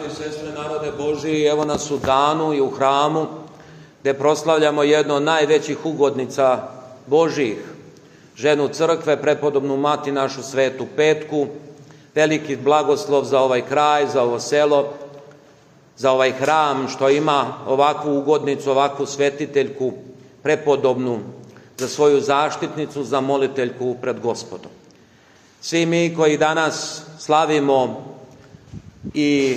Braćo i sestre, narode Božiji, evo nas u danu i u hramu gdje proslavljamo jednu od najvećih ugodnica Božijih, ženu crkve, prepodobnu mati našu Svetu Petku. Veliki blagoslov za ovaj kraj, za ovo selo, za ovaj hram što ima ovakvu ugodnicu, ovakvu svetiteljku, prepodobnu, za svoju zaštitnicu, za moliteljku pred Gospodom. Svi mi koji danas slavimo i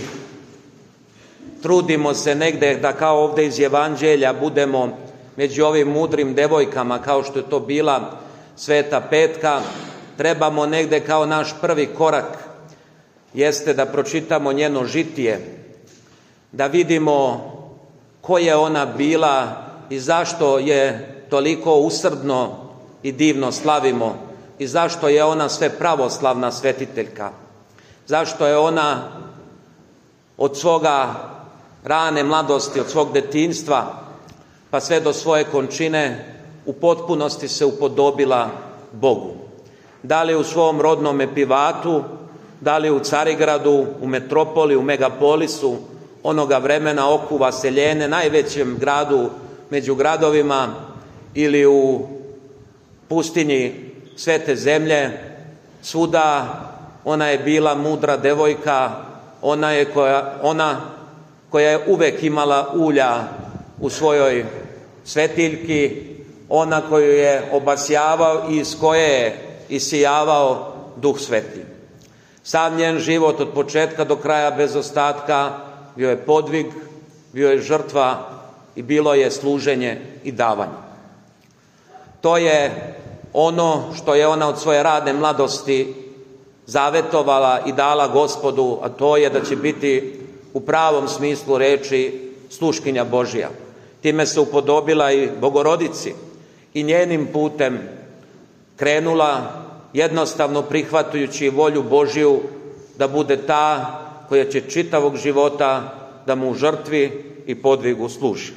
trudimo se negde da kao ovdje iz Evanđelja budemo među ovim mudrim devojkama kao što je to bila Sveta Petka, trebamo negde kao naš prvi korak jeste da pročitamo njeno žitije, da vidimo ko je ona bila i zašto je toliko usrdno i divno slavimo i zašto je ona sve pravoslavna svetiteljka, zašto je ona od svoga rane mladosti, od svog detinjstva pa sve do svoje končine u potpunosti se upodobila Bogu. Da li u svom rodnom Epivatu, da li u Carigradu, u metropoli, u megapolisu onoga vremena, oku Vaseljene, najvećem gradu među gradovima, ili u pustinji Svete zemlje, svuda ona je bila mudra devojka, ona koja je uvek imala ulja u svojoj svetiljki, ona koju je obasjavao i iz koje je isijavao Duh Sveti. Sam njen život od početka do kraja bez ostatka bio je podvig, bio je žrtva i bilo je služenje i davanje. To je ono što je ona od svoje radne mladosti zavetovala i dala Gospodu, a to je da će biti u pravom smislu reči sluškinja Božja. Time se upodobila i Bogorodici i njenim putem krenula, jednostavno prihvatajući volju Božju da bude ta koja će čitavog života da mu u žrtvi i podvigu služi.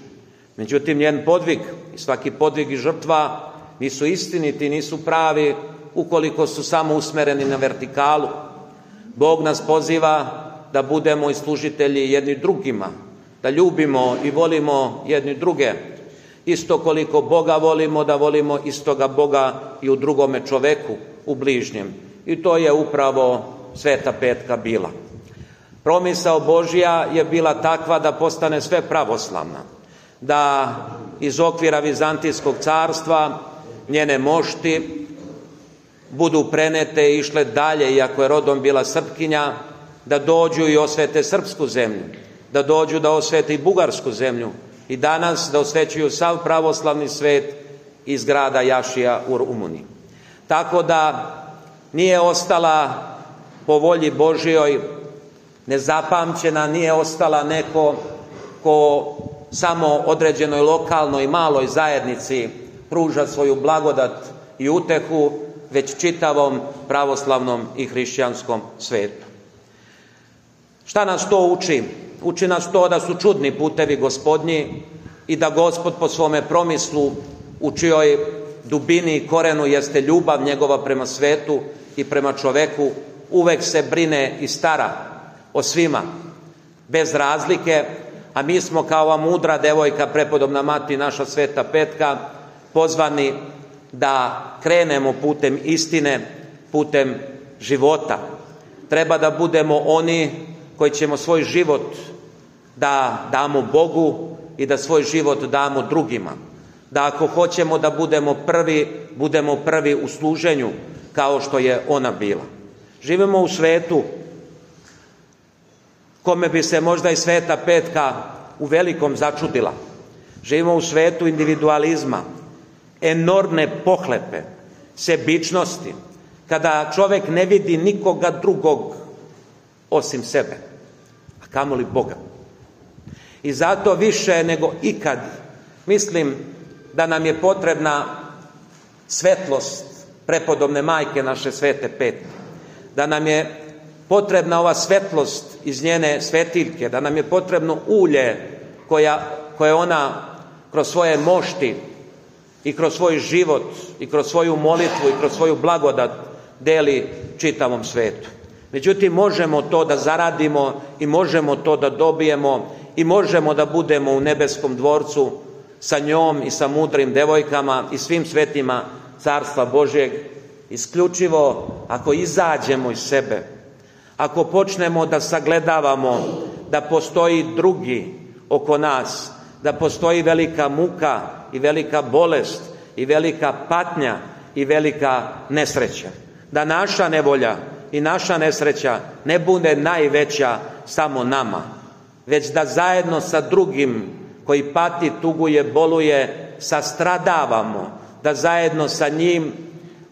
Međutim, njen podvig i svaki podvig i žrtva nisu istiniti, nisu pravi ukoliko su samo usmereni na vertikalu. Bog nas poziva da budemo i služitelji jedni drugima, da ljubimo i volimo jedni druge. Isto koliko Boga volimo, da volimo istoga Boga i u drugome čoveku, u bližnjem. I to je upravo Sveta Petka bila. Promisao Božja je bila takva da postane sve pravoslavna, da iz okvira Vizantijskog carstva njene mošti budu prenete i išle dalje, iako je rodom bila Srpkinja, da dođu i osvete srpsku zemlju, da dođu da osvete i bugarsku zemlju i danas da osvećuju sav pravoslavni svet iz grada Jašija u Rumuniji. Tako da nije ostala po volji Božjoj nezapamćena, nije ostala neko ko samo određenoj lokalnoj maloj zajednici pruža svoju blagodat i utehu, već čitavom pravoslavnom i hrišćanskom svetu. Šta nas to uči? Uči nas to da su čudni putevi Gospodnji i da Gospod po svome promislu, u čijoj dubini i korenu jeste ljubav njegova prema svetu i prema čoveku, uvek se brine i stara o svima, bez razlike, a mi smo kao ova mudra devojka, prepodobna mati naša Sveta Petka, pozvani da krenemo putem istine, putem života. Treba da budemo oni koji ćemo svoj život da damo Bogu i da svoj život damo drugima. Da ako hoćemo da budemo prvi u služenju kao što je ona bila. Živimo u svetu kome bi se možda i Sveta Petka u velikom začudila. Živimo u svetu individualizma, enormne pohlepe, sebičnosti, kada čovek ne vidi nikoga drugog osim sebe, a kamoli Boga. I zato više nego ikad mislim da nam je potrebna svetlost prepodobne majke naše Svete Petke, da nam je potrebna ova svetlost iz njene svetiljke, da nam je potrebno ulje koje ona kroz svoje mošti i kroz svoj život i kroz svoju molitvu i kroz svoju blagodat deli čitavom svetu. Međutim, možemo to da zaradimo i možemo to da dobijemo i možemo da budemo u nebeskom dvorcu sa njom i sa mudrim devojkama i svim svetima Carstva Božjeg, isključivo ako izađemo iz sebe, ako počnemo da sagledavamo da postoji drugi oko nas, da postoji velika muka i velika bolest i velika patnja i velika nesreća, da naša nevolja i naša nesreća ne bude najveća samo nama, već da zajedno sa drugim koji pati, tuguje, boluje, sastradavamo, da zajedno sa njim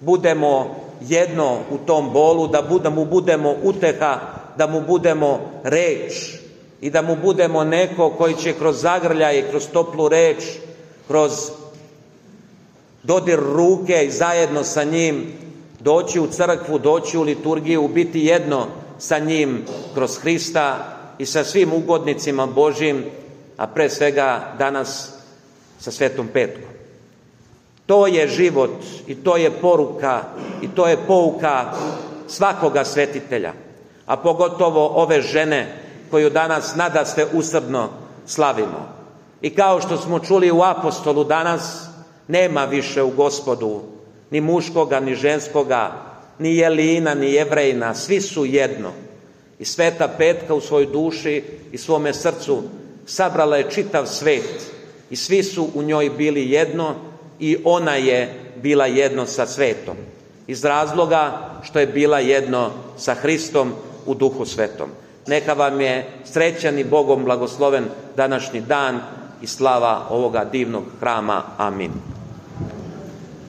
budemo jedno u tom bolu, da mu budemo uteha, da mu budemo reč i da mu budemo neko koji će kroz zagrljaj, kroz toplu reč, kroz dodir ruke i zajedno sa njim doći u crkvu, doći u liturgiju, biti jedno sa njim kroz Hrista i sa svim ugodnicima Božjim, a pre svega danas sa Svetom Petkom. To je život i to je poruka i to je pouka svakoga svetitelja, a pogotovo ove žene koju danas nadasve usrdno slavimo. I kao što smo čuli u apostolu danas, nema više u Gospodu ni muškoga, ni ženskoga, ni Jelina, ni Jevrejina, svi su jedno. I Sveta Petka u svojoj duši i svome srcu sabrala je čitav svet i svi su u njoj bili jedno i ona je bila jedno sa svetom. Iz razloga što je bila jedno sa Hristom u Duhu Svetom. Neka vam je srećan i Bogom blagosloven današnji dan i slava ovoga divnog hrama. Amin.